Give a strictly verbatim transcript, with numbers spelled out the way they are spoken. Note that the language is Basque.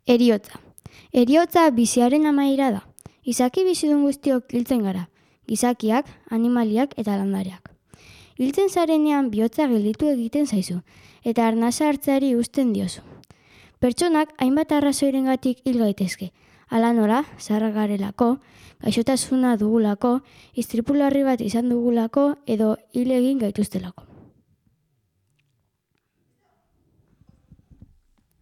Heriotza. Heriotza biziaren amaiera da. Izaki bizidun guztiok hiltzen gara, gizakiak, animaliak eta landareak. Hiltzen zarenean bihotza gelditu egiten zaizu, eta arnasa hartzeari uzten diozu. Pertsonak hainbat arrazoirengatik hil gaitezke, hala nola, zaharrak garelako, gaixotasuna dugulako, istripu larri bat izan dugulako edo hil egin gaituztelako.